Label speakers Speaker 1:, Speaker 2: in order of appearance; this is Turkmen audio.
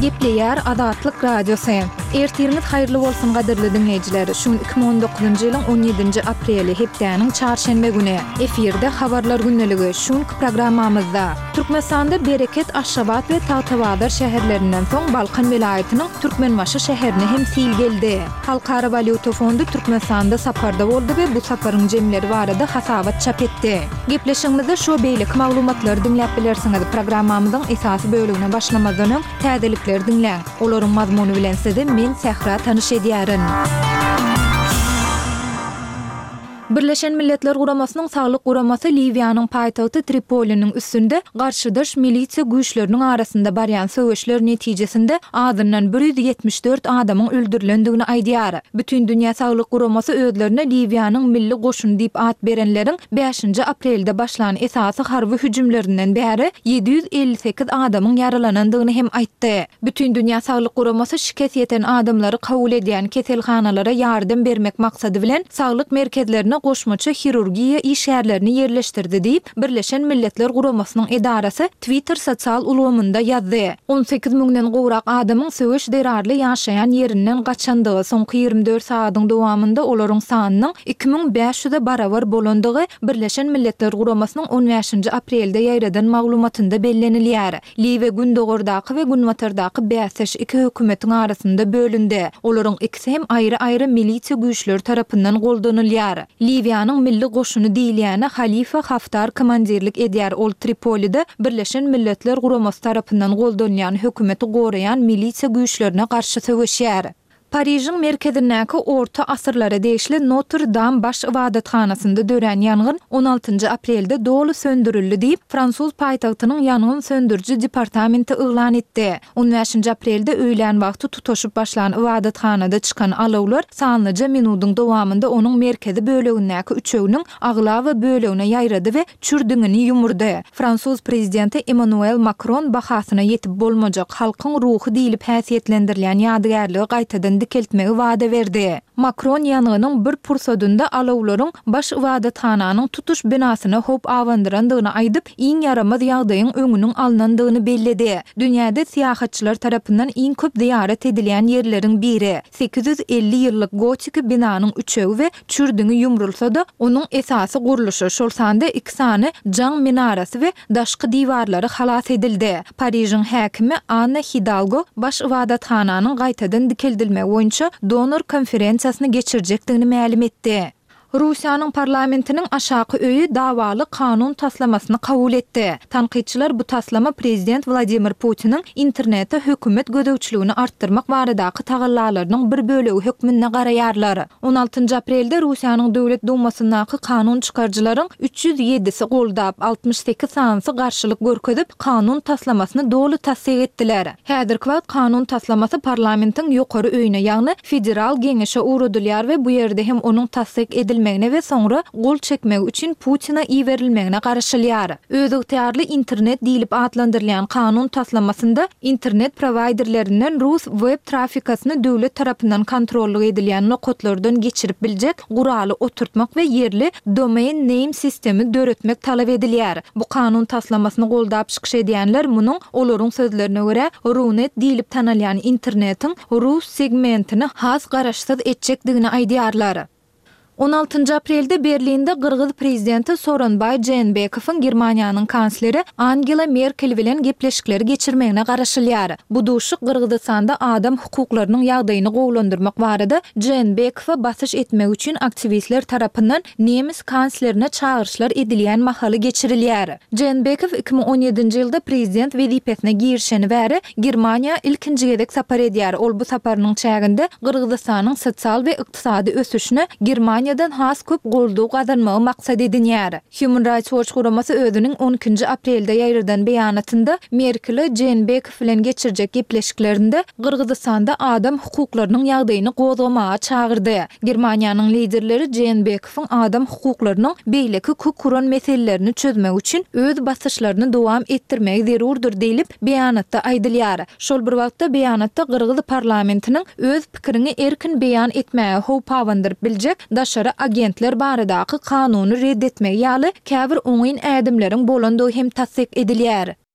Speaker 1: Gepleýär Azatlyk Radiosy. Ertiriňiz haýyrly bolsun gadyrly diňleýjiler. Şu gün 2019-njy ýylyň 17-nji apreli, hepdäniň çarşenbe güni. Efirde Habarlar gündeligi. Şu günki programmamyzda. Türkmenistanda Bereket, Aşgabat we Tagtabazar şäherlerinden soň Balkan welaýatynyň Türkmenbaşy şäherine hem sil geldi. Halkara walýuta fondy Türkmenistanda saparda boldy we bu saparyň jemleri barada hasabat çap etdi. Gepleşigimizde şu we beýleki maglumatlary diňläp bilersiňiz. Programmamyzyň esasy bölegine başlamazdan öň, täzelikleri diňläň. Olaryň mazmuny bilen sizi men Sähra tanyş edýärin. Birleşen Milletler Guramasynyň Saglyk guramasy Liwiýanyň paýtagty Tripoliniň üstünde garşydaş milisiýa güýçleriniň arasynda barýan söweşler netijesinde azyndan 174 adamyň öldürilendigini aýdýar. Bütindünýä Saglyk Guramasy özlerine Liwiýanyň milli goşuny diýip at berenleriň bäşinji aprelde başlan esasy harby hüjümlerinden bäri 758 adamyň ýaralanandygyny hem aýtdy. Bütindünýä Saglyk Guramasy şikes ýeten adamlary kabul edýän keselhanalara ýardam bermek maksady bilen, saglyk merkezlerine goşmaça hirurgiýa işgärlerini ýerleşdirdi diýip, Birleşen Milletler Guramasynyň edarasy Twitter sosial ulgamynda ýazdy. 18 müňden gowrak adamyň söweş zerarly ýaşaýan ýerinden gaçandygy, soňky 24 sagadyň dowamynda olaryň sanynyň 2500-e barabar bolandygy Birleşen Milletler Guramasynyň on bäşinji aprelde ýaýradan maglumatynda bellenilýär. Liwiýa gündogardaky we günbatardaky bäsdeş iki hökümetiň arasynda bölündi. Olaryň ikisi hem aýry-aýry milisiýa güýçleri tarapyndan goldanylýar. Liwiýanyň milli goşuny diýilýäne Halifa Haftar komandirlik edýär, ol Tripolide Birleşen Milletler Guramasy tarapyndan goldanylýan hökümeti goraýan milisiýa güýçlerine garşy söweşýär. Parižiň merkezindäki orta asyrlara degişli Notr-Dam baş ybadathanasynda dörän ýangyn on altynjy aprelde doly söndürildi diýip, fransuz paýtagtynyň ýangyn söndüriji departamenti yglan etdi. On bäşinji aprelde öýlän wagty tutaşyp başlan ybadathanada çykan alawlar sanlyja minudyň dowamynda onuň merkezi bölegindäki üçeginiň aglaba bölegine ýaýrady we çür diňini ýumurdy. Fransuz prezidenti Emmanuel Makron bahasyna ýetip bolmajak, halkyň ruhy diýlip häsiýetlendirilýän ýadygärligi gaýtadan dikeltmegi wada berdi. Makron ýangynyň bir pursadynda alawlaryň baş ybadathananyň tutuş binasyna howp abandyrandygyny aýdyp, iň ýaramaz ýagdaýyň öňüniň alnandygyny belledi. Dünýäde syýahatçylar tarapyndan iň köp zyýarat edilýän ýerleriň biri, 850 ýyllyk gotiki binanyň üçegi we Çür diňi ýumrulsa-da, onuň esasy gurluşy, şol sanda iki sany jaň minarasy we daşky diwarlary halas edildi. Parižiň häkimi Anna Hidalgo baş ybadathananyň gaýtadan dikeldilmegi boýunça donor konferensiýasyny geçirjekdigini mälim etdi. Russiýanyň parlamentiniň aşaky öýi dawaly kanun taslamasyny kabul etdi. Tankytçylar bu taslama prezident Wladimir Putiniň internete hökümet gözegçiligini artdyrmak baradaky tagallalarynyň bir bölegi hökmünde garaýarlar. On altynjy aprelde Russiýanyň Döwlet Dumasyndaky kanun çykaryjylaryň 307-si goldap, 68 sanysy garşylyk görkezip, kanun taslamasyny doly tassyk etdiler. Häzirki wagt kanun taslamasy parlamentiň ýokary öýüne, ýagny Federal Geňeşe ugradylýar we bu ýerde hem onuň tassyk edilmegine we soňra gol çekmegi üçin Putine iberilmegine garaşylýar. Özygtyýarly internet diýlip atlandyrylýan kanun taslamasynda internet prowaýderlerinden rus web trafikasyny döwlet tarapyndan kontrollyk edilýän nokatlardan geçirip biljek guraly oturtmak we ýerli Domain Name System-i döretmek talap edilýär. Bu kanun taslamasyny goldap çykyş edýänler munuň, olaryň sözlerine görä, Runet diýlip tanalýan internetiň rus segmentini has garaşsyz etjekdigini aýdýarlar. On altynjy aprelde Berlinde gyrgyz prezidenti Sooronbaý Jeenbekowyň Germaniýanyň kansleri Angela Merkel bilen gepleşikleri geçirmegine garaşylýar. Bu duşuşyk Gyrgyzystanda adam hukuklarynyň ýagdaýyny gowulandyrmak barada Jeenbekowa basyş etmek üçin aktiwistler tarapyndan nemes kanslerine çagyryşlar edilýän mahaly geçirilýär. Jeenbekow 2017-nji ýylda prezident wezipesine girişeni bäri Germaniýa ilkinji gezek sapar edýär. Ol bu saparynyň çäginde Gyrgyzystanyň sosial we ykdysady ösüşine Germaniýadan has köp goldaw gazanmagy maksat edinýär. Human Rights Watch guramasy özüniň on ikinji aprelde ýaýradan beýanatynda Merkele Jeenbekow bilen geçirjek gepleşiklerinde Gyrgyzystanda adam hukuklarynyň ýagdaýyny gozgamaga çagyrdy. Germaniýanyň liderleri Jeenbekowyň adam hukuklarynyň beýleki kök uran meselelerini çözmek üçin öz basyşlaryny dowam etdirmegi zerurdyr diýlip, beýanatda aýdylýar. Şol bir wagtda, beýanatda gyrgyz parlamentiniň öz pikiriňi erkin beýan etmäge howp abandyryp biljek daşary agentler baradaky kanuny red etmegi ýaly käbir oňyn ädimleriň bolandygy hem tassyk edilýär.